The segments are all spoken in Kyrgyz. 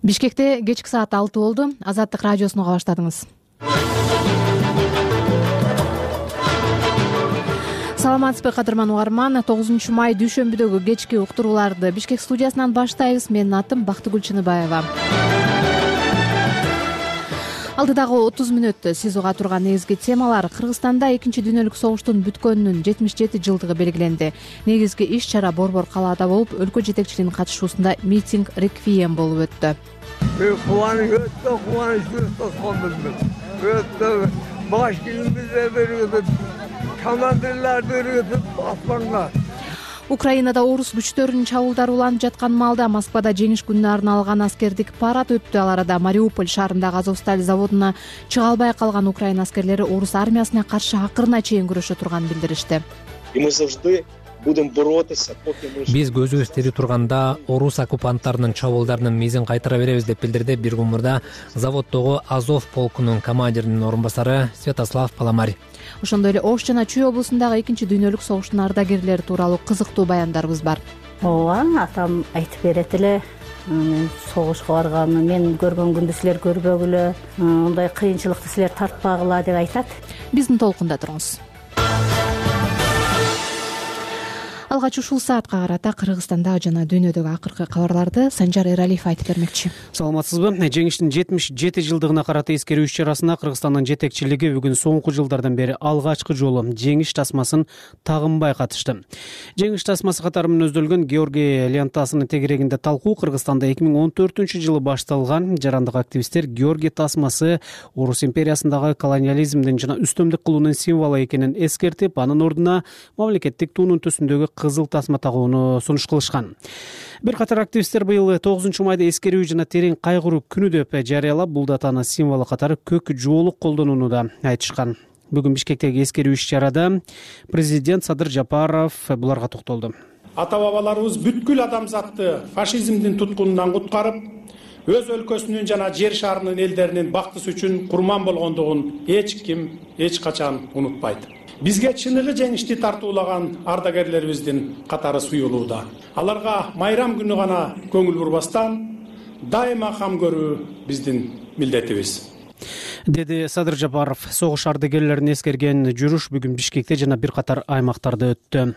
Бишкекте кечки саат 6 болду. Азаттык радиосуну уга баштадыңыз. Саламатсызбы кадырман угарман. 9 май дүйшөмбүдөгү кечки уктурууларды Бишкек студиясынан баштайбыз. Менин атым Бактыгүл Чыныбаева. Алдыдагы 30 мүнөттө сиз уга турган негизги темалар: Кыргызстанда 2 дүйнөлүк согуштун бүткөнүнүн 77 жылдыгы белгиленди. Негизги иш-чара Борбор калаада болуп, өлкө жетекчилигинин катышуусунда митинг реквием болуп өттү. Өтө баш кийимибизди берип, командирлерди берип аспанга. Украинада орус күчтөрүнүн чабуулдары уланып жаткан маалда Москвада жеңиш күнүнө арналган аскердик парад өттү. Ал арада Мариуполь шаарындагы Азовсталь заводуна чыга албай калган украин аскерлери орус армиясына каршы акырына чейин күрөшө турганын билдиришти. Биз көзүбүз тири турганда орус оккупанттарынын чабуулдарынын мизин кайтара беребиз деп билдирди бир күн мурда заводдогу Азов полкунун командиринин орун басары Святослав Паламарь. Ошондой эле Ош жана Чүй облусундагы 2 дүйнөлүк согуштун ардагерлери тууралуу кызыктуу баяндарыбыз бар. Ооба, атам айтып берет эле. Мен согушка барганымды мен көргөн күндү силер көрбөгүлө, мындай кыйынчылыкты силер тартпагыла деп айтат. Биздин толкунда туруңуз. Алгач ушул саатка карата Кыргызстанда жана дүйнөдөгү акыркы кабарларды Санжар Эралиев айтып бермекчи. Саламатсызбы? Жеңиштин 77 жылдыгына карата эскерүү иш-чарасына Кыргызстандын жетекчилиги бүгүн соңку жылдардан бери алгачкы жолу жеңиш тасмасын тагынбай катышты. Жеңиш тасмасы катары менен өздөлгөн Георгий лентасынын тегерегинде талкуу Кыргызстанда 2014-жылы башталган. Жарандык активисттер Георгий тасмасы Орус империясындагы колониализмдин жана үстөмдүк кылуунун символу экенин эскертип, анын ордуна мамлекеттик туунун төсүндөгү кызыл тасма тагууну сунуш кылышкан. Бир катар активисттер быйыл 9 майда эскерүү жана терең кайгыруу күнү деп жарыялап, бул датаны символу катары көк жуолук колдонууну да айтышкан. Бүгүн Бишкектеги эскерүү иш-чарада президент Садыр Жапаров буларга токтолду. Ата-бабаларыбыз бүткүл адамзатты фашизмдин туткунунан куткарып, өз өлкөсүнүн жана жер шарынын элдеринин бактысы үчүн курман болгондугун эч ким эч качан унутпайт. Бизге чыныгы жеңишти тартуулаган ардагерлерибиздин катары суюлууда. Аларга майрам күнү гана көңүл бурбастан дайыма кам көрүү биздин милдетибиз, деди Садыр Жапаров. Согуш ардагерлерин эскерген жүрүш бүгүн Бишкекте жана бир катар аймактарда өттү.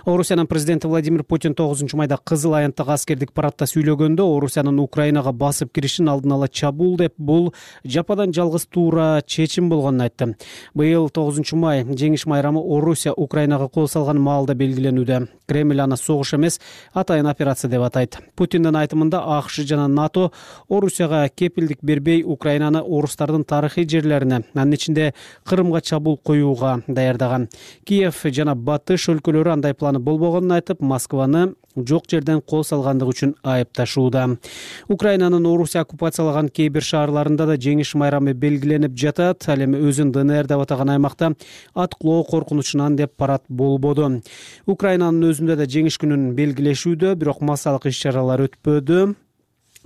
Орусиянын президенти Владимир Путин 9 майда Кызыл аянттагы аскердик парадта сүйлөгөндө Орусиянын Украинага басып киришин алдын ала чабуул деп, бул жападан жалгыз туура чечим болгонун айтты. Быйыл 9 май жеңиш майрамы Орусия Украинага кол салган маалда белгиленүүдө. Кремль аны согуш эмес, атайын операция деп атайт. Путиндин айтымында АКШ жана НАТО Орусияга кепилдик бербей Украинаны орустардын тарыхый жерлерине, анын ичинде Кырымга чабуул коюуга даярдаган. Киев жана Батыш өлкөлөрү андай планы болбогонун айтып, Москваны жок жерден кол салгандыгы үчүн айыпташууда. Украинанын Орусия оккупациялаган кээ бир шаарларында да жеңиш майрамы белгиленип жатат. Ал эми өзүн ДНР деп атаган аймакта аткылоо коркунучунан деп парад болбоду. Украинанын өзүндө да жеңиш күнүн белгилешүүдө, бирок массалык иш-чаралар өтпөдү.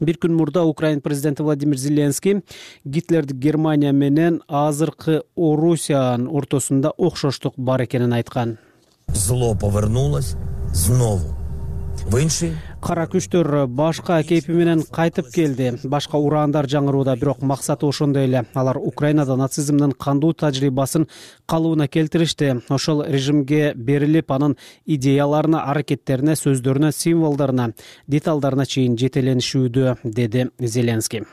Бир күн мурда Украин президенти Владимир Зеленский Гитлердик Германия менен азыркы Орусиянын ортосунда окшоштук бар экенин айткан. Зло повернулось снова. Кара күчтөр башка кейпи менен кайтып келди. Башка ураандар жаңырууда, бирок максаты ошондой эле. Алар Украинада нацизмдин кандуу тажрыйбасын калыбына келтиришти. Ошол режимге берилип, анын идеяларына, аракеттерине, сөздөрүнө, символдоруна, деталдарына чейин жетеленишүүдө, деди Зеленский.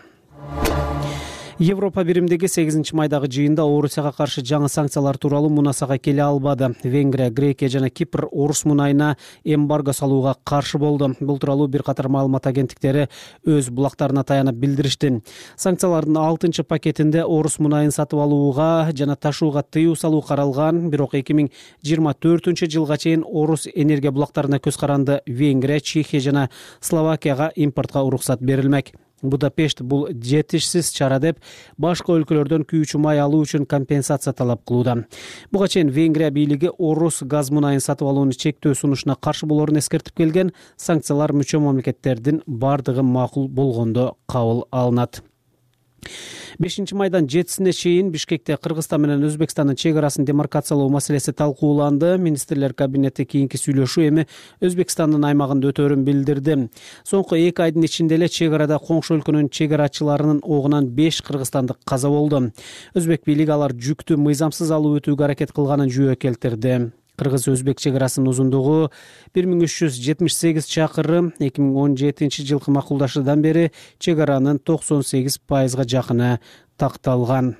Европа биримдиги 8 майдагы жыйында Орусияга каршы жаңы санкциялар тууралуу мунасага келе албады. Венгрия, Грекия жана Кипр орус мунайына эмбарго салууга каршы болду. Бул тууралуу бир катар маалымат агенттиктери өз булактарына таянып билдиришти. Санкциялардын 6 пакетинде орус мунайын сатып алууга жана ташууга тыюу салуу каралган. Бирок 2024 жылга чейин орус энергия булактарына көз каранды Венгрия, Чехия жана Словакияга импортко уруксат берилмек. Будапешт бул жетишсиз чара деп башка өлкөлөрдөн күйүүчү май алуу үчүн компенсация талап кылууда. Буга чейин Венгрия бийлиги орус газ мунайын сатып алууну чектөө сунушуна каршы болоорун эскертип келген. Санкциялар мүчө мамлекеттердин бардыгы макул болгондо кабыл алынат. 5 майдан 7-сине чейин Бишкекте Кыргызстан менен Өзбекстандын чек арасын демаркациялоо маселеси талкууланды. Министрлер кабинети кийинки сүйлөшүү эми Өзбекстандын аймагында өтөөрүн билдирди. Соңку 2 айдын ичинде эле чек арада коңшу өлкөнүн чек арачыларынын огунан 5 кыргызстандык каза болду. Өзбек бийлиги алар жүктү мыйзамсыз алып өтүүгө аракет кылганын жүйө келтирди. Кыргыз-Өзбек чек арасынын узундугу 1378 чакырым. 2017-жылкы макулдашуудан бери чек аранын 98%га жакыны такталган.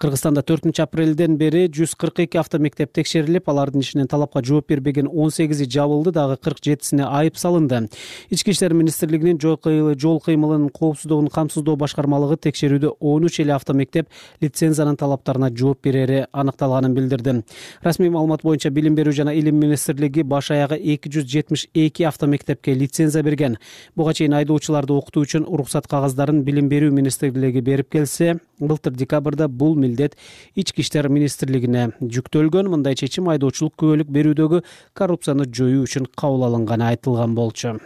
Кыргызстанда 4-апрелден бери 142 автомектеп текшерилип, алардын ишинен талапка жооп бербеген 18 жабылды, дагы 47-сине айып салынды. Ички иштер министрлигинин жол кыймылынын коопсуздугун камсыздоо башкармалыгы текшерүүдө 13 эле автомектеп лицензиянын талаптарына жооп берери аныкталганын билдирди. Расмий маалымат боюнча Билим берүү жана Илим министрлиги баш аягы 272 автомектепке лицензия берген. Буга чейин айдоочуларды окутуу үчүн уруксат кагаздарын Билим берүү министрлиги берип келсе, былтыр декабрда бул милдет Ички иштер министрлигине жүктөлгөн. Мындай чечим айдоочулук күбөлүк берүүдөгү коррупцияны жоюу үчүн кабыл алынганы айтылган болчу.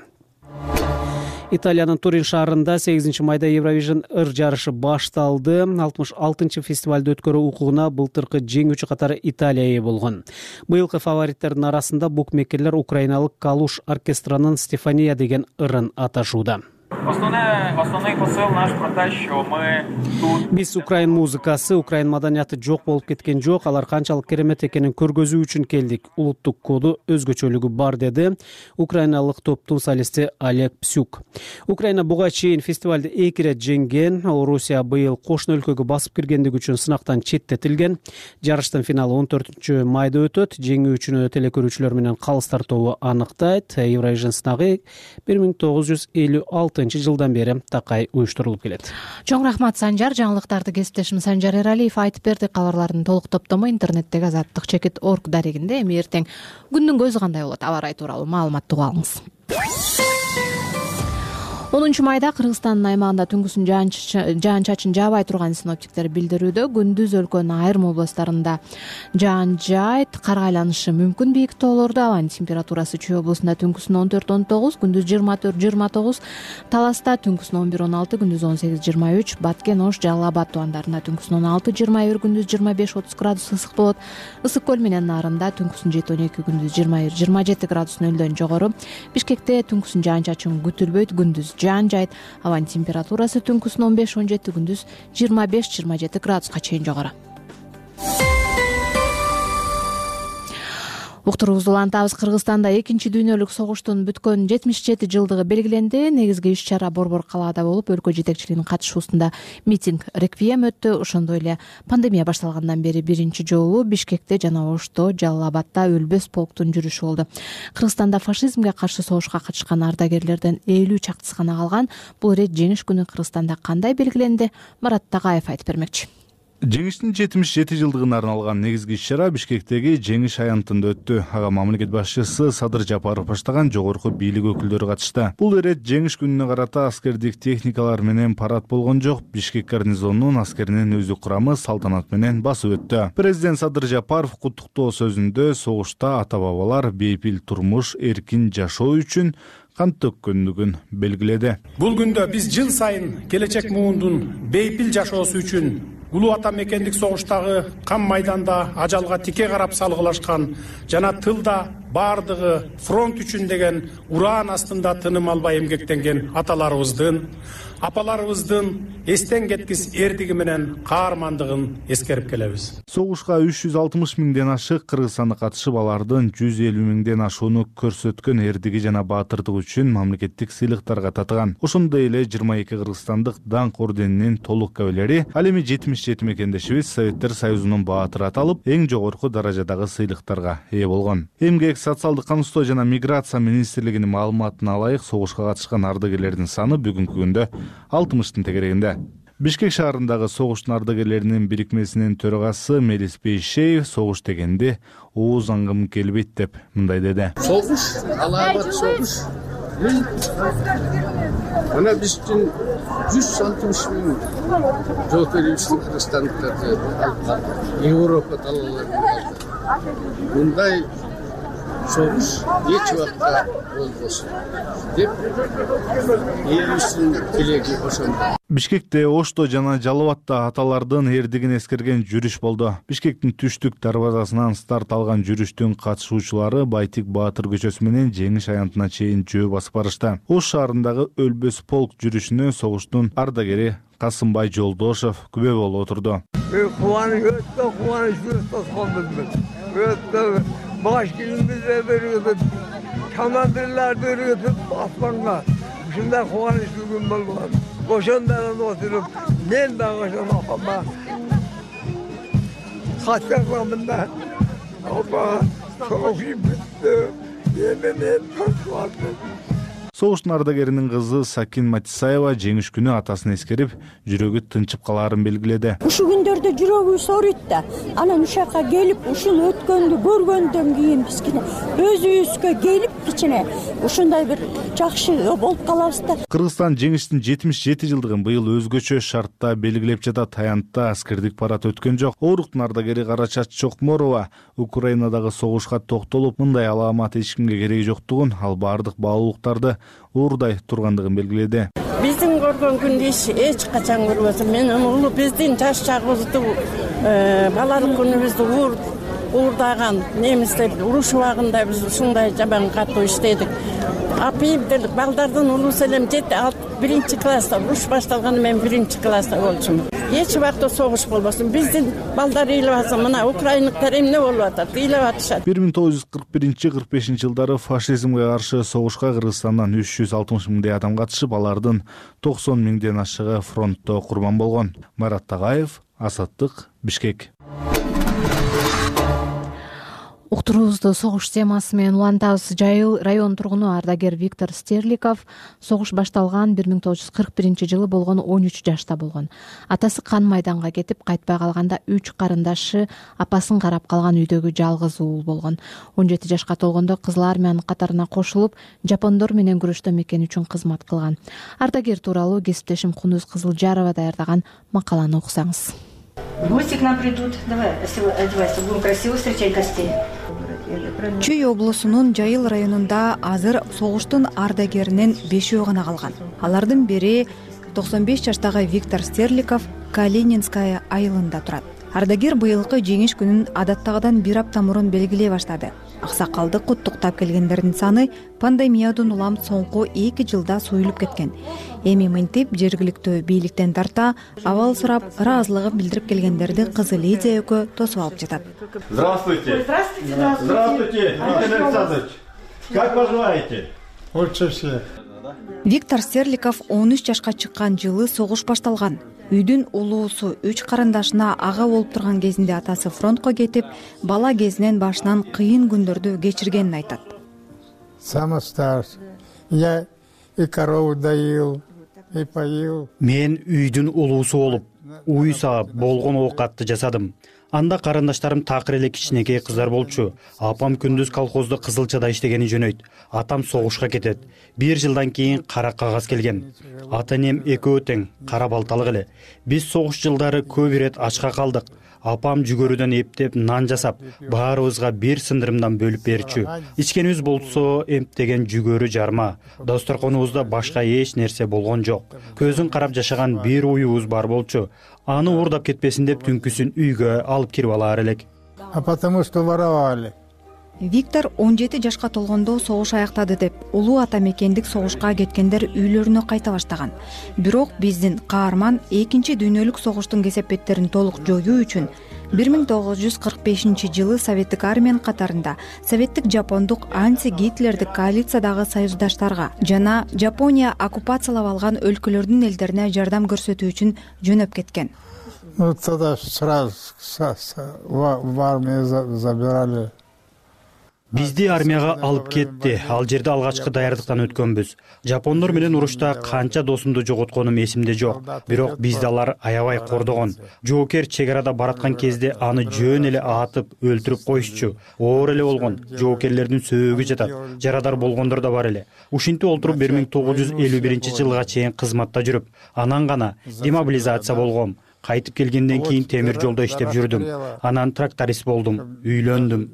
Италиянын Турин шаарында 8-майда Евровижн ыр жарышы башталды. 66-чы фестивалды өткөрүү укугуна былтыркы жеңүүчү катары Италия ээ болгон. Быйылкы фавориттердин арасында букмекерлер украиналык Калуш оркестринин Стефания деген ырын аташууда. Основной посыл наш про то, что мы тут... Биз Украин музыкасы, Украин маданияты жок болуп кеткен жок. Алар канчалык керемет экенин көргөзүү үчүн келдик. Улуттук коду, өзгөчөлүгү бар, деди украиналык топтун солисти Олег Псюк. Украина буга чейин фестивалды 2 ирет жеңген. Орусия быйыл кошуна өлкөгө басып киргендиги үчүн сынактан четтетилген. Жарыштын финалы 14-майда өтөт. Жеңүүчүнү телекөрүүчүлөр менен калыс тартоо анықтайт. Евровижн сынагы 1956-жылдан бери такай уюштурулуп келет. Чоң рахмат, Санжар. Жаңылыктарды кесиптешим Санжар Эралиев айтып берди. Кабарлардын толук топтому интернеттеги azаттыкчекит.org дарегинде. Эми эртең күндүн көзү кандай болот, аба ырайы тууралуу маалымат угуп алыңыз. 10-майда Кыргызстандын аймагында түнкүсүн жаан-чачын жаабай турганын синоптиктер билдирүүдө. Күндүз өлкөнүн айрым областтарында жаан жаайт, кар айланышы мүмкүн бийик тоолордо. Абанын температурасы Чүй облусунда түнкүсүн 14-19, күндүз 24-29, Таласта түнкүсүн 11-16, күндүз 18-23, Баткен, Ош, Жалал Абад тубандарында түнкүсүн 16-21, күндүз 25-30 градус ысык болот. Ысык көл менен Нарында түнкүсүн 7-12, күндүз 21-27 градус нөлдөн жогору. Бишкекте түнкүсүн жаан-чачын күтүлбөйт, күндүз жаан жайт. Абанын температурасы түнкүсүн 15-17, күндүз 25-27 градуска чейин жогору. Уктуруубузду улантабыз. Кыргызстанда 2 дүйнөлүк согуштун бүткөн 77 жылдыгы белгиленди. Негизги иш-чара Борбор калаада болуп, өлкө жетекчилигинин катышуусунда митинг, реквием өттү. Ошондой эле пандемия башталгандан бери биринчи жолу Бишкекте жана Ошто, Жалал Абадда өлбөс полктун жүрүшү болду. Кыргызстанда фашизмге каршы согушка катышкан ардагерлерден 50 чактысы гана калган. Бул ирет жеңиш күнү Кыргызстанда кандай белгиленди? Марат Тагаев айтып бермекчи. Жеңиштин 77 жылдыгына арналган негизги иш-чара Бишкектеги Жеңиш аянтында өттү. Ага мамлекет башчысы Садыр Жапаров баштаган жогорку бийлик өкүлдөрү катышты. Бул ирет жеңиш күнүнө карата аскердик техникалар менен парад болгон жок. Бишкек гарнизонунун аскеринин өздүк курамы салтанат менен басып өттү. Президент Садыр Жапаров куттуктоо сөзүндө согушта ата-бабалар бейпил турмуш, эркин жашоо үчүн кан төккөндүгүн белгиледи. Бул күндө биз жыл сайын келечек муундун бейпил жашоосу үчүн улуу ата мекендик согуштагы кан майданда ажалга тике карап салгылашкан жана тылда бардыгы фронт үчүн деген ураан астында тыным албай эмгектенген аталарыбыздын, апаларыбыздын эстен кеткис эрдиги менен каармандыгын эскерип келебиз. Согушка 360 миңден ашык кыргызстандык катышып, алардын 150 миңден ашууну көрсөткөн эрдиги жана баатырдык үчүн мамлекеттик сыйлыктарга татыган. Ошондой эле 22 кыргызстандык даңк орденинин толук кабилери, ал эми 77 мекендешибиз Советтер Союзунун баатыры аталып, эң жогорку даражадагы сыйлыктарга ээ болгон. Эмгек, социалдык камсыздоо жана миграция министрлигинин маалыматына ылайык, согушка катышкан ардагерлердин саны бүгүнкү күндө 60-тын тегерегинде. Бишкек шаарындагы согуштун ардагерлеринин бирикмесинин төрагасы Мелис Бейшеев согуш дегенде ооз аңгым келбейт деп мындай деди. Согуш, алаабат согуш. Мына биз үчүн 160 миң жол берүүчү кыргызстандыктарды Европа талааларында мындай согуш эч убакта болбосун деп элибиздин тилеги ошондо. Бишкекте, Ошто жана Жалал Абадта аталардын эрдигин эскерген жүрүш болду. Бишкектин түштүк дарбазасынан старт алган жүрүштүн катышуучулары Байтик Баатыр көчөсү менен Жеңиш аянтына чейин жөө басып барышты. Ош шаарындагы Өлбөс полк жүрүшүнө согуштун ардагери Касымбай Жолдошов күбө болуп отурду. Өтө кубанычтуу тосконбузбуз. Өтө баш кийимибизди берип, командирлерди өргөтүп аспанга. Ушундай кубанычтуу күн болгон. Ошондон отуруп, мен дагы ошон апама кат жазамын да. Апа, согуш бүттү. Мен тоскондум. Согуштун ардагеринин кызы Сакин Матисаева жеңиш күнү атасын эскерип, жүрөгү тынчып калаарын белгиледи. Ушу күндөрдө жүрөгүбүз ооруйт да. Анан ушакка келип, ушуну өткөндү көргөндөн кийин биз өзүбүзгө келип кичине ушундай бир жакшы болуп калабыз да. Кыргызстан жеңиштин 77 жылдыгын быйыл өзгөчө шартта белгилеп жатат. Аянтта аскердик парад өткөн жок. Оруктун ардагери Карачат Чокморова Украинадагы согушка токтолуп, мындай аламат эч кимге кереги жоктугун, ал бардык баалуулуктарды уурдай тургандыгын белгиледи. Биздин көргөн күндү эч качан көрбөсүм. Менин улуу биздин жаш чагыбызды, балалык күнүбүздү уурдаган немистер уруш убагында биз ушундай жаман катуу иштедик. Апайым делик балдардын улуусу элем 1 класста уруш башталганда мен 1 класста болчумун. Эч убакта согуш болбосун. Биздин балдар ыйлап атса, мына украиндыктар эмне болуп атат, ыйлап атышат. 1941-45 жылдары фашизмге каршы согушка Кыргызстандан 360 миңдей адам катышып, алардын 90 миңден ашыгы фронтто курман болгон. Марат Тагаев, Азаттык, Бишкек. Уктуруубузду согуш темасы менен улантабыз. Жайыл район тургуну ардагер Виктор Стерликов согуш башталган 1941 жылы болгон 13 жашта болгон. Атасы кан майданга кетип кайтпай калганда 3 карындашы апасын карап калган үйдөгү жалгыз уул болгон. 17 жашка толгондо Кызыл армиянын катарына кошулуп, жапондор менен күрөштө мекен үчүн кызмат кылган. Ардагер тууралуу кесиптешим Кундуз Кызылжарова даярдаган макаланы окусаңыз. Гости к нам придут. Давай, одевайся, будем красиво встречать гостей. Чүй облусунун Жайыл районунда азыр согуштун ардагеринен 5 гана калган. Алардын бири 95 жаштагы Виктор Стерликов Калининская айылында турат. Ардагер быйылкы жеңиш күнүн адаттагыдан 1 апта мурун белгилей баштады. Аксакалды куттуктап келгендердин саны пандемиядан улам соңку 2 жылда суюлуп кеткен. Эми мынтип жергиликтүү бийликтен тарта абал сурап, ыраазылыгын билдирип келгендерди кызы Лидия экөө тосуп алып жатат. Здравствуйте. Здравствуйте. Здравствуйте, Виктор Александрович. Как поживаете? Лучше всех. Виктор Стерликов 13 жашка чыккан жылы согуш башталган. Үйдүн улуусу 3 карындашына ага болуп турган кезинде атасы фронтко кетип, бала кезинен башынан кыйын күндөрдү кечиргенин айтат. Самый старший. Я и корову доил, и поил. Мен үйдүн улуусу болуп, уй саап болгон оокатты жасадым. Анда карындаштарым такыр эле кичинекей кыздар болчу. Апам күндүз колхозда Кызылчада иштегени жөнөйт. Атам согушка кетет. 1 жылдан кийин кара кагаз келген. Ата-энем экөө тең, кара балталык эле. Биз согуш жылдары көп ирет ачка калдык. Апам жүгөрүдөн эптеп нан жасап, баарыбызга бир сындырымдан бөлүп берчү. Ичкенибиз болсо эмптеген жүгөрү жарма. Досторконубузда башка эч нерсе болгон жок. Көзүн карап жашаган бир уюбуз бар болчу. Аны уурдап кетпесин деп түнкүсүн үйгө алып кирип алаар элек. А потому что воровали. Виктор 17 жашка толгондо согуш аяктады деп, улуу ата мекендик согушка кеткендер үйлөрүнө кайта баштаган. Бирок биздин каарман 2 дүйнөлүк согуштун кесепеттерин толук жоюу үчүн 1945 жылы Советтик армиянын катарында Советтик жапондук анти-гитлердик коалициядагы союздаштарга жана Жапония оккупациялап алган өлкөлөрдүн элдерине жардам көрсөтүү үчүн жөнөп кеткен. Ну тогда сразу в армию забирали. Бизди армияга алып кетти. Ал жерде алгачкы даярдыктан өткөнбүз. Жапондор менен урушта канча досумду жоготконум эсимде жок. Бирок бизди алар аябай кордогон. Жоокер чек арада бараткан кезде аны жөн эле атып, өлтүрүп коюшчу. Оор эле болгон. Жоокерлердин сөөгү жатат. Жарадар болгондор да бар эле. Ушинтип олтуруп 1951 жылга чейин кызматта жүрүп, анан гана демобилизация болгом. Кайтып келгенден кийин темир жолдо иштеп жүрдүм. Анан тракторист болдум, үйлөндүм.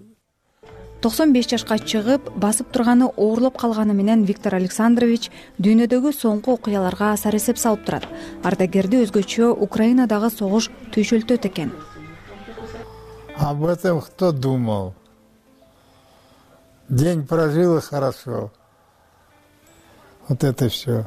95 жашка чыгып басып турганы оорлоп калганы менен Виктор Александрович дүйнөдөгү соңку окуяларга саресеп салып турат. Ардагерди өзгөчө Украинадагы согуш түйшөлтөт экен. Об этом кто думал? День прожил и хорошо. Вот это все.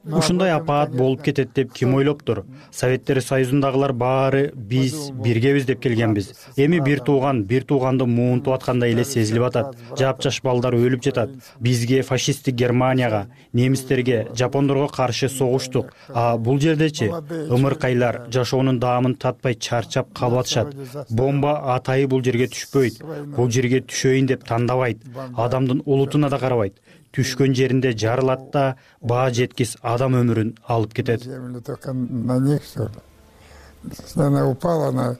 Ушундай апаат болуп кетет деп ким ойлоптур? Советтер Союзундагылар баары биз биргебиз деп келгенбиз. Эми бир тууганды муунтуп аткандай эле сезилип атат. Жапжаш балдар өлүп жатат. Бизге фашисттик Германияга, немистерге, жапондорго каршы согуштук. А бул жердечи ымыркайлар жашоонун даамын татпай чарчап калып атышат. Бомба атайы бул жерге түшпөйт. Бул жерге түшөйүн деп тандабайт. Адамдын улутуна да карабайт. Түшкөн жеринде жарылат да баа жеткис адам өмүрүн алып кетет. Только на них все. Если она упала на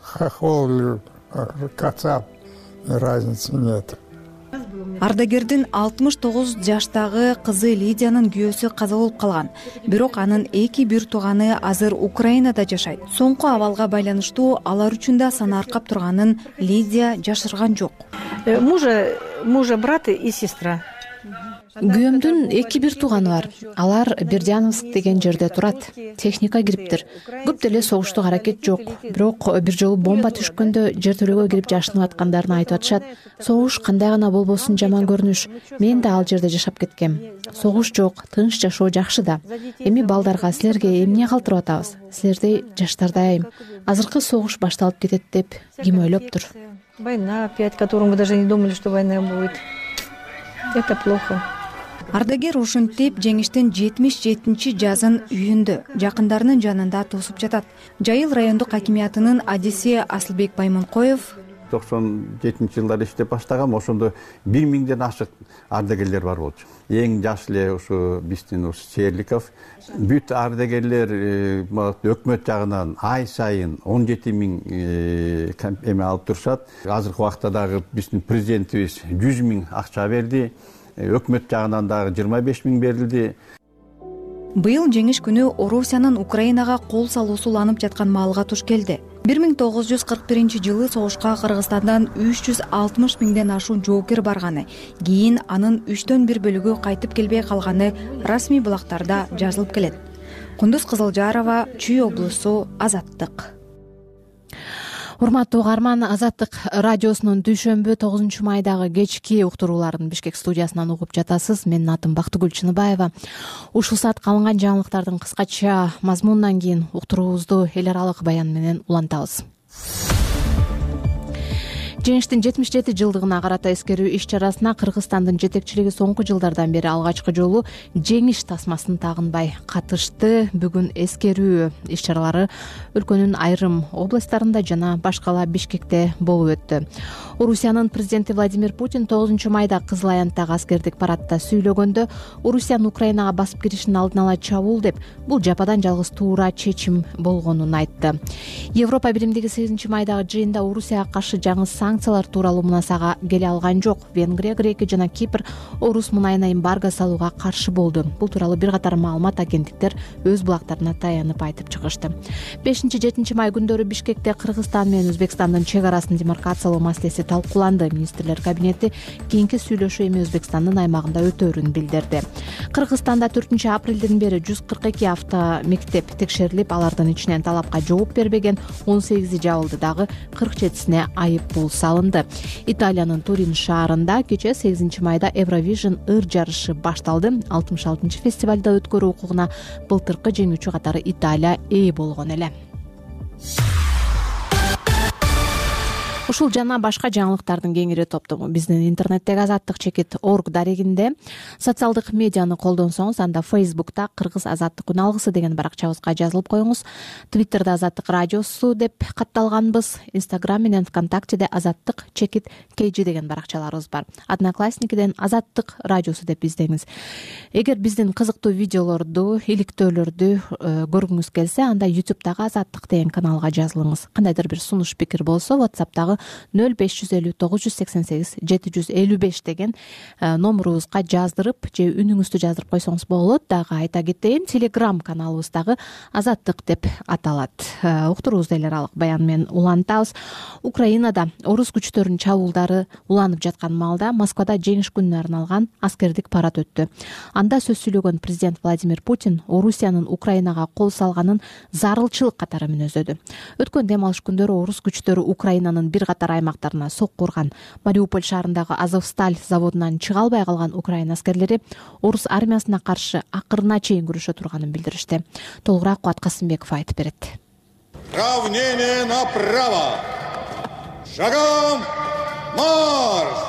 хохол или кацап, разницы нет. Ардагердин 69 жаштагы кызы Лидиянын күйөөсү каза болуп калган. Бирок анын эки бир тууганы азыр Украинада жашайт. Соңку абалга байланыштуу алар үчүн да санааркап турганын Лидия жашырган жок. Мужа брат и сестра. Күйөөмдүн эки бир тууганы бар. Алар Бердяновск деген жерде турат. Техника кириптир. Көп деле согуштук аракет жок. Бирок бир жолу бомба түшкөндө жертөлөгө кирип жашынып аткандарын айтып атышат. Согуш кандай гана болбосун жаман көрүнүш. Мен да ал жерде жашап кеткем. Согуш жок, тынч жашоо жакшы да. Эми балдарга силерге эмне калтырып атабыз? Силерди жаштардай айым. Азыркы согуш башталып кетет деп ким ойлоптур? Война опять, которую мы даже не думали, что война будет. Это плохо. Ардагер ушинтип жеңиштин 77-жазын үйүндө, жакындарынын жанында тосуп жатат. Жайыл райондук хакимиятынын адиси Асылбек Баймонкоев 97-жылдары иштеп баштагам, ошондо 1000ден ашык ардагерлер бар болчу. Эң жаш эле ушу биздин Серликов. Бүт ардагерлер өкмөт жагынан ай сайын 17.000 эме алып турушат. Азыркы убакта дагы биздин президентибиз 100.000 акча берди. Өкмөт жагынан дагы 25.000 берилди. Быйыл жеңиш күнү Орусиянын Украинага кол салуусу уланып жаткан маалга туш келди. 1941-жылы согушка Кыргызстандан 360.000ден ашуун жоокер барганы, кийин анын 3/4 бөлүгү кайтып келбей калганы расмий булактарда жазылып келет. Кундуз Кызылжарова, Чүй облусу, Азаттык. Урматтуу угарман, Азаттык радиосунун дүйшөмбү 9-майдагы кечки уктурууларын Бишкек студиясынан угуп жатасыз. Менин атым Бактыгүл Чыныбаева. Ушул саатка алынган жаңылыктардын кыскача мазмунунан кийин уктуруубузду эл аралык баян менен улантабыз. Жеңиштин 77 жылдыгына карата эскерүү иш-чарасына Кыргызстандын жетекчилиги соңку жылдардан бери алгачкы жолу жеңиш тасмасын тагынбай катышты. Бүгүн эскерүү иш-чаралары өлкөнүн айрым областтарында жана башкала Бишкекте болуп өттү. Орусиянын президенти Владимир Путин 9-майда Кызыл Аянттагы аскердик парадта сүйлөгөндө Орусиянын Украинага басып киришин алдын ала чабуул деп, бул жападан жалгыз туура чечим болгонун айтты. Европа Биримдиги 8-майдагы жыйында Орусияга каршы жаңы санкциялар тууралуу мунасага келе алган жок. Венгрия, Грекия жана Кипр орус мунайына эмбарго салууга каршы болду. Бул тууралуу бир катар маалымат агенттиктер өз булактарына таянып айтып чыгышты. 5-7 май күндөрү Бишкекте Кыргызстан менен Өзбекстандын чек арасын демаркациялоо маселеси талкууланды. Министрлер кабинети кийинки сүйлөшүү эми Өзбекстандын аймагында өтөөрүн билдирди. Кыргызстанда 4-апрелден бери 142 автомектеп текшерилип, алардын ичинен талапка жооп бербеген 18 жабылды, дагы 47-сине айып пул салынды. Италиянын Турин шаарында кече 8-майда Евровижн ыр жарышы башталды. 66 фестивалда өткөрүү укугуна былтыркы жеңүүчү катары Италия ээ болгон эле. Ушул жана башка жаңылыктардын кеңири топтому биздин интернеттеги azattik.org дарегинде, социалдык медианы колдонсоңуз, анда Facebook'та Кыргыз Азаттык күн алгысы деген баракчабызга жазылып коюңуз. Twitter'да Азаттык радиосу деп катталганбыз. Instagram менен ВКонтактеде Азаттык_KG деген баракчаларыбыз бар. Одноклассникиден Азаттык радиосу деп издеңиз. Эгер биздин кызыктуу видеолорду, иликтөөлөрдү көргүңүз келсе, анда YouTube'дагы Азаттык деген каналга жазылыңыз. Кандайдыр бир сунуш пикир болсо, WhatsApp'тагы 0550 988 755 деген номурубузга жаздырып же үнүңүздү жаздырып койсоңуз болот. Дагы айта кетейин, Telegram каналыбыз дагы Азаттык деп аталат. Уктуруубузду эле аралык баян менен улантабыз. Украинада орус күчтөрүнүн чабуулдары уланып жаткан маалда Москвада жеңиш күнүнө арналган аскердик парад өттү. Анда сөз сүйлөгөн президент Владимир Путин Орусиянын Украинага кол салганын зарылчылык катары мүнөздөдү. Өткөн дем алыш күндөрү орус күчтөрү Украинанын бир катар аймактарына сокку урган. Мариуполь шаарындагы Азовсталь заводунан чыга албай калган Украина аскерлери орус армиясына каршы акырына чейин күрөшө турганын билдиришти. Толугураак Кубат Касымбеков айтып берет. Равнение направо. Шагом марш!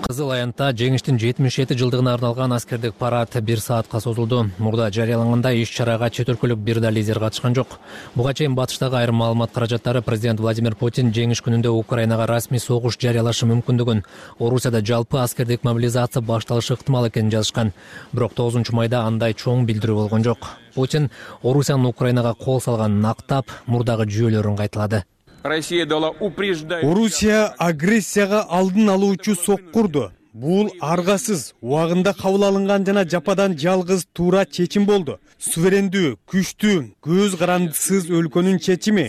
Кызыл Аянтта жеңиштин 77 жылдыгына арналган аскердик парад 1 саатка созулду. Мурда жарыялангандай иш-чарага чет өлкөлүк бир да лидер катышкан жок. Буга чейин батыштагы айрым маалымат каражаттары президент Владимир Путин жеңиш күнүндө Украинага расмий согуш жарыялашы мүмкүндүгүн, Орусияда жалпы аскердик мобилизация башталышы ыктымал экенин жазышкан. Бирок 9 майда андай чоң билдирүү болгон жок. Путин Орусиянын Украинага кол салганын актап, мурдагы жүйөлөрүн кайталады. Орусия агрессияга алдын алуучу соккурду. Бул аргасыз, убагында кабыл алынган жана жападан жалгыз туура чечим болду. Суверендүү, күчтүү, көз карандысыз өлкөнүн чечими.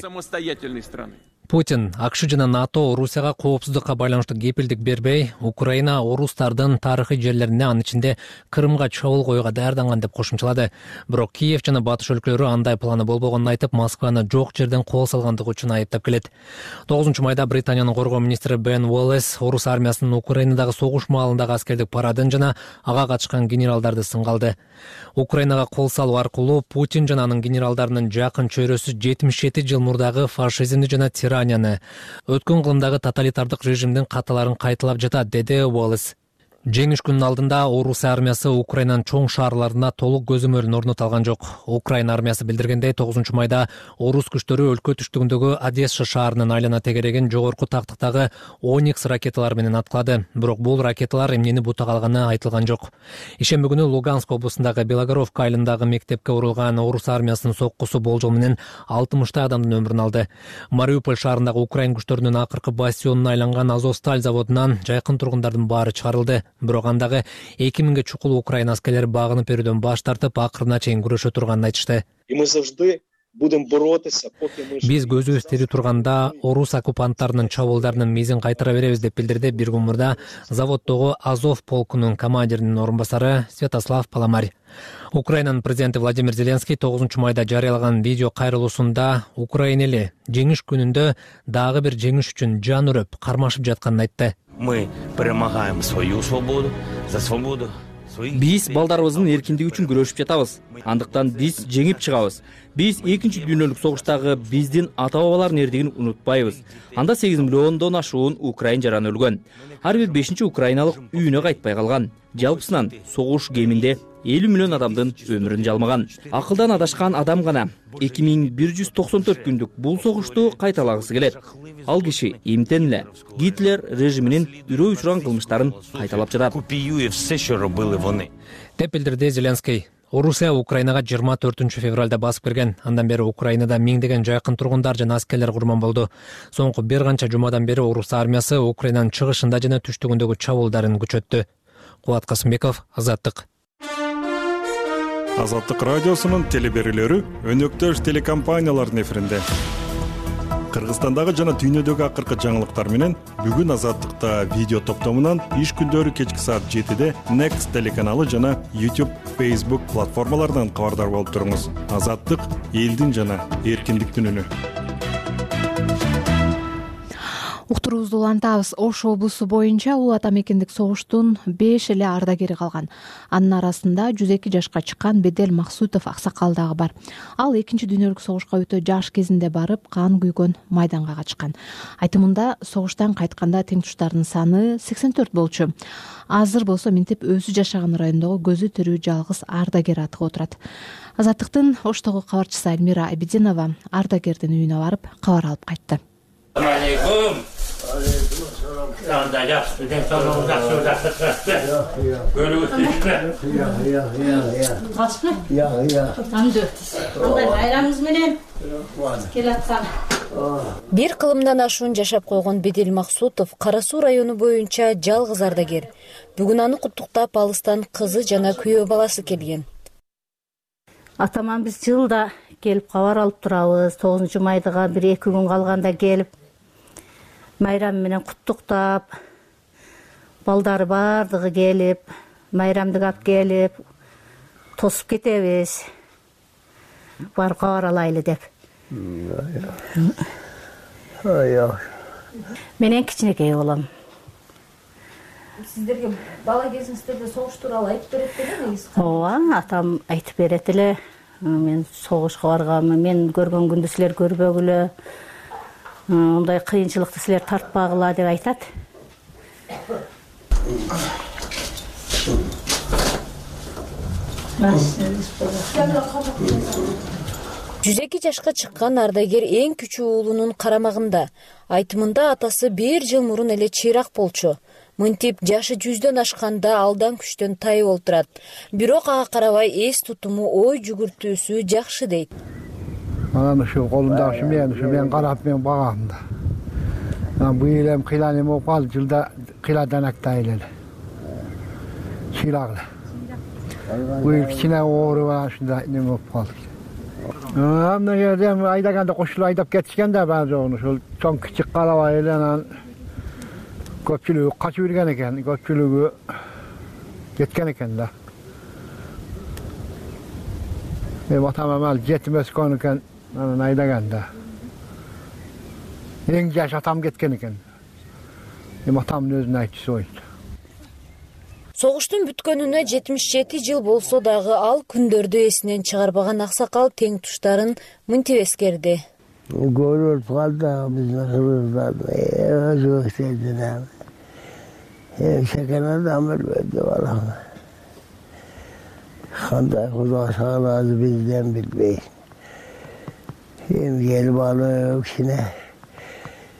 Путин АКШ жана НАТО Орусияга коопсуздукка байланыштуу кепилдик бербей, Украина орустардын тарыхый жерлерине, анын ичинде Крымга чабуул коюуга даярданган деп кошумчалады. Бирок Киев жана батыш өлкөлөрү андай планы болбогонун айтып, Москваны жок жерден кол салгандыгы үчүн айыптап келет. 9 майда Британиянын коргоо министри Бен Уоллес орус армиясынын Украинадагы согуш маалындагы аскердик парадын жана ага катышкан генералдарды сынгалды. Украинага кол салуу аркылуу Путин жана анын генералдарынын жакын чөйрөсү 77 жыл мурдагы фашизмди жана өткөн кылымдагы тоталитардык режимдин каталарын кайталап жатат, деди Уоллес. Жеңиш күнүнүн алдында орус армиясы Украинанын чоң шаарларына толук көзөмөлүн орното алган жок. Украина армиясы билдиргендей, 9 майда орус күчтөрү өлкө түштүгүндөгү Одесса шаарынын айлана тегерегин жогорку тактыктагы Оникс ракеталары менен аткылады. Бирок бул ракеталар эмнени бута калганы айтылган жок. Ишемби күнү Луганск облусундагы Белогоровка айылындагы мектепке урулган орус армиясынын соккусу болжол менен 60 адамдын өмүрүн алды. Мариуполь шаарындагы Украин күчтөрүнүн акыркы бастионуна айланган Азовсталь заводунан жайкын тургундардын баары чыгарылды. Бирок андагы 2000ге чукул Украина аскерлери багынып берүүдөн баш тартып, акырына чейин күрөшө турганын айтышты. Биз көзүбүз тири турганда орус оккупанттарынын чабуулдарынын мизин кайтара беребиз деп билдирди бир күн мурда заводдогу Азов полкунун командиринин орун басары Святослав Паламарь. Украинанын президенти Владимир Зеленский 9 майда жарыялаган видео кайрылуусунда Украина эли жеңиш күнүндө дагы бир жеңиш үчүн жан үрөп, кармашып жатканын айтты. Мы перемагаем свою свободу, за свободу. Биз балдарыбыздын эркиндиги үчүн күрөшүп жатабыз. Андыктан биз жеңип чыгабыз. Биз 2 дүйнөлүк согуштагы биздин ата-бабалардын эрдигин унутпайбыз. Анда 8 миллиондон ашуун украин жараны өлгөн. Ар бир 5-чи украиналык үйүнө кайтпай калган. Жалпысынан согуш кеминде 50 миллион адамдын өмүрүн жалмаган. Акылдан адашкан адам гана 2194 күндүк бул согушту кайталагысы келет. Ал киши эмтен эле Гитлер режиминин үрөө учурган кылмыштарын кайталап жатат. Деп билдирди Зеленский. Орусия Украинага 24 февралда басып кирген. Андан бери Украинада миңдеген жайкын тургундар жана аскерлер курман болду. Соңку бир канча жумадан бери орус армиясы Украинанын чыгышында жана түштүгүндөгү чабуулдарын күчөттү. Кубат Касымбеков, Азаттык. Азаттык радиосунун телеберүүлөрү өнөктөш телекомпаниялардын эфиринде. Кыргызстандагы жана дүйнөдөгү акыркы жаңылыктар менен бүгүн Азаттыкта видео топтомунан иш күндөрү кечки саат 7-де Next телеканалы жана YouTube, Facebook платформаларынан кабардар болуп туруңуз. Азаттык — элдин жана эркиндиктин үнү. Уктуруубузду улантабыз. Ош облусу боюнча улуу ата мекендик согуштун 5 эле ардагери калган. Анын арасында 102 жашка чыккан Бедел Максутов аксакал дагы бар. Ал 2 дүйнөлүк согушка өтө жаш кезинде барып, кан күйгөн майданга качкан. Айтымында согуштан кайтканда тең туштарынын саны 84 болчу. Азыр болсо минтип өзү жашаган райондогу көзү тирүү жалгыз ардагер атыга отурат. Азаттыктын Оштогу кабарчысы Альмира Абидинова ардагердин үйүнө барып кабар алып кайтты. Айрамыңыз менен келаткан Бир кылымдан ашуун жашап койгон Бедел Максутов Кара Суу району боюнча жалгыз ардагер. Бүгүн аны куттуктап алыстан кызы жана күйөө баласы келген. Атаман биз жылда келип кабар алып турабыз. 9-майдыга 1-2 күн калганда келип майрам менен куттуктап, балдары бардыгы келип, майрамды алып келип, тосуп кетебиз. Бар кабар алайлы деп. Менен кичинекей болом. Сиздерге бала кезиңиздерде согуш тууралуу айтып берет беле? Ооба, атам айтып берет эле. Мен согушка барганмын, мен көргөн күндү силер көрбөгүлө. Мындай кыйынчылыкты силер тартпагыла деп айтат. 102 жашка чыккан ардагер эң күчүү уулунун карамагында. Айтымында атасы 1 жыл мурун эле чыйрак болчу. Мынтип жашы 100дөн ашканда алдан күчтөн тайып олтурат. Бирок ага карабай эс тутуму, ой жүгүртүүсү жакшы дейт. Анан ушу колумдагы мен карап мен багам да. Быйыл эми кыйлан эме болуп калды, жылда кыйладан актайлы эле. Чыйрак эле. Быйыл кичине оору бар, ушундай неме болуп калды. Мына жерде айдаганда кошулуп айдап кетишкен да баары жогун, ошол чоң кичик карабай эле анан көпчүлүгү качып жүргөн экен, көпчүлүгү кеткен экен да. Атам амал жетим өскөн экен, анан айдаганда. Эң жаш атам кеткен экен. Атамдын өзүнүн айтчысы болчу. Согуштун бүткөнүнө 77 жыл болсо дагы ал күндөрдү эсинен чыгарбаган аксакал тең туштарын мынтип эскерди. Көрүп калды биздин кыргыздарда өзү сездинем. Шекен адам элбетте балам. Кандай Кудай сагалады бизден билбейт. Эми келип алып кичине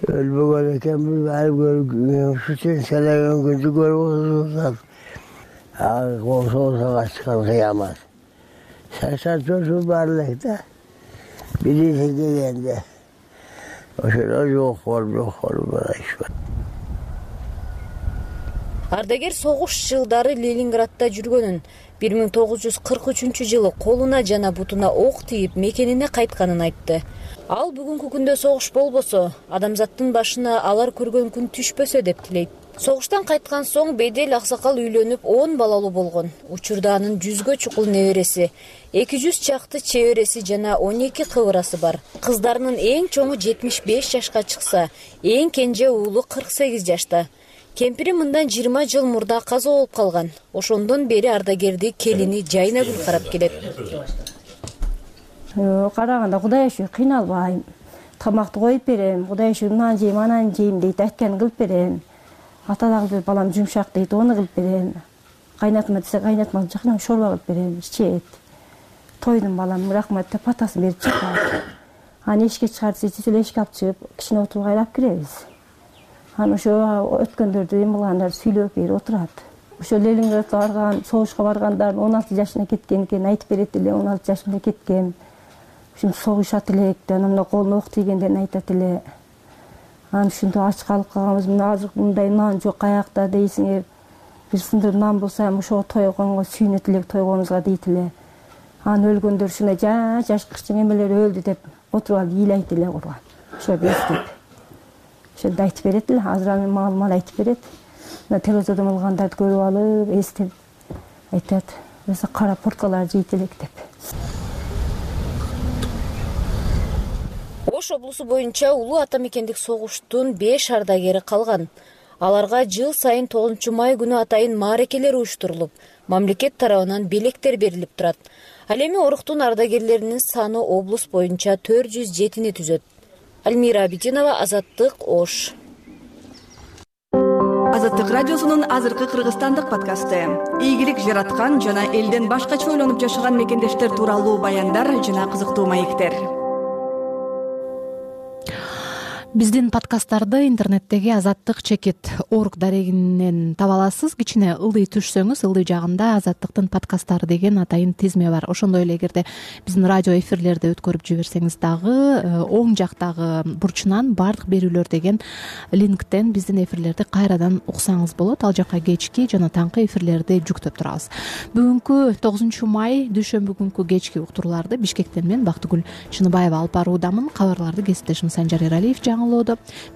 өлбөгөн экенбиз, баары көргөн үчүн селеген күндү көрүп отурсак. Колсоосага чыккан кыямат. 84 бар элек да. Биринчи келгенде. Ошол жок болду. Ардагер согуш жылдары Ленинградда жүргөнүн, 1943-жылы колуна жана бутуна ок тийип мекенине кайтканын айтты. Ал бүгүнкү күндө согуш болбосо, адамзаттын башына алар көргөн күн түшпөсө деп тилейт. Согуштан кайткан соң Бедел аксакал үйлөнүп 10 балалуу болгон. Учурда анын 100гө чукул небереси, 200 чакты чебереси жана 12 кыбырасы бар. Кыздарынын эң чоңу 75 жашка чыкса, эң кенже уулу 48 жашта. Кемпири мындан 20 жыл мурда каза болуп калган. Ошондон бери ардагерди келини Жайнагүл карап келет. Караганда Кудай иши кыйналбайм. Тамакты коюп берем, Кудай иши мынаны жейм, ананы жейм дейт, айтканын кылып берем. Ата дагы балам жумшак дейт, оны кылып берем. Кайнатма десе кайнатма, жакынан шорба кылып берем, ичет. Тойдум балам, рахмат деп атасын берип чыккан. Аны эшикке чыгар десе, эле эшикке алып чыгып, кичине отургай алып киребиз. Аны ошо өткөндөрдү эми кылгандар сүйлөп берип отурат. Ошо Ленинградка барган, согушка баргандар 16 жашына кеткен экен, айтып берет эле, 16 жашында кеткен. Ушинтип согушат элек, анан колуна ок тийгендерин айтат эле. Анан ушинтип ач калып калганбыз, мына азыр мындай нан жок каякта дейсиңер. Бир сындыр нан болсо эми ошого тойгонго сүйүнөт элек, тойгонубузга дейт эле. Анан өлгөндөр ушундай жаш кырчың эмелер өлдү деп отуруп алып ыйлайт эле курган. Ошо эстеп. Ошондо айтып берет эле, азыр аны маалымат айтып берет. Мына телевизордон алгандарды көрүп алып, эстеп айтат. Эсе кара порткалар жейт элек деп. Ош облусу боюнча улуу ата мекендик согуштун 5 ардагери калган. Аларга жыл сайын 9-май күнү атайын мааракелер уюштурулуп, мамлекет тарабынан белектер берилип турат. Ал эми оруктун ардагерлеринин саны облус боюнча 407-ни түзөт. Альмира Абидинова, Азаттык, Ош. Азаттык радиосунун азыркы кыргызстандык подкасты. Ийгилик жараткан жана элден башкача ойлонуп жашаган мекендештер тууралуу баяндар жана кызыктуу маектер. Биздин подкасттарды интернеттеги азаттык чекит.org дарегинен таба аласыз. Кичине ылдый түшсөңүз, ылдый жагында азаттыктын подкасттары деген атайын тизме бар. Ошондой эле эгерде биздин радио эфирлерди өткөрүп жиберсеңиз дагы оң жактагы бурчунан баардык берүүлөр деген линктен биздин эфирлерди кайрадан уксаңыз болот. Ал жака кечки жана таңкы эфирлерди жүктөп турабыз. Бүгүнкү 9 май дүйшөмбү күнкү кечки уктурууларды Бишкектен мен Бактыгүл Чыныбаева алып баруудамын. Кабарларды кесиптешим Санжар Эралиев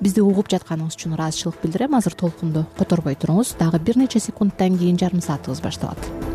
бизди угуп жатканыңыз үчүн ыраазычылык билдирем. Азыр толкунду которбой туруңуз. Дагы бир нече секундтан кийин жарым саатыбыз башталат.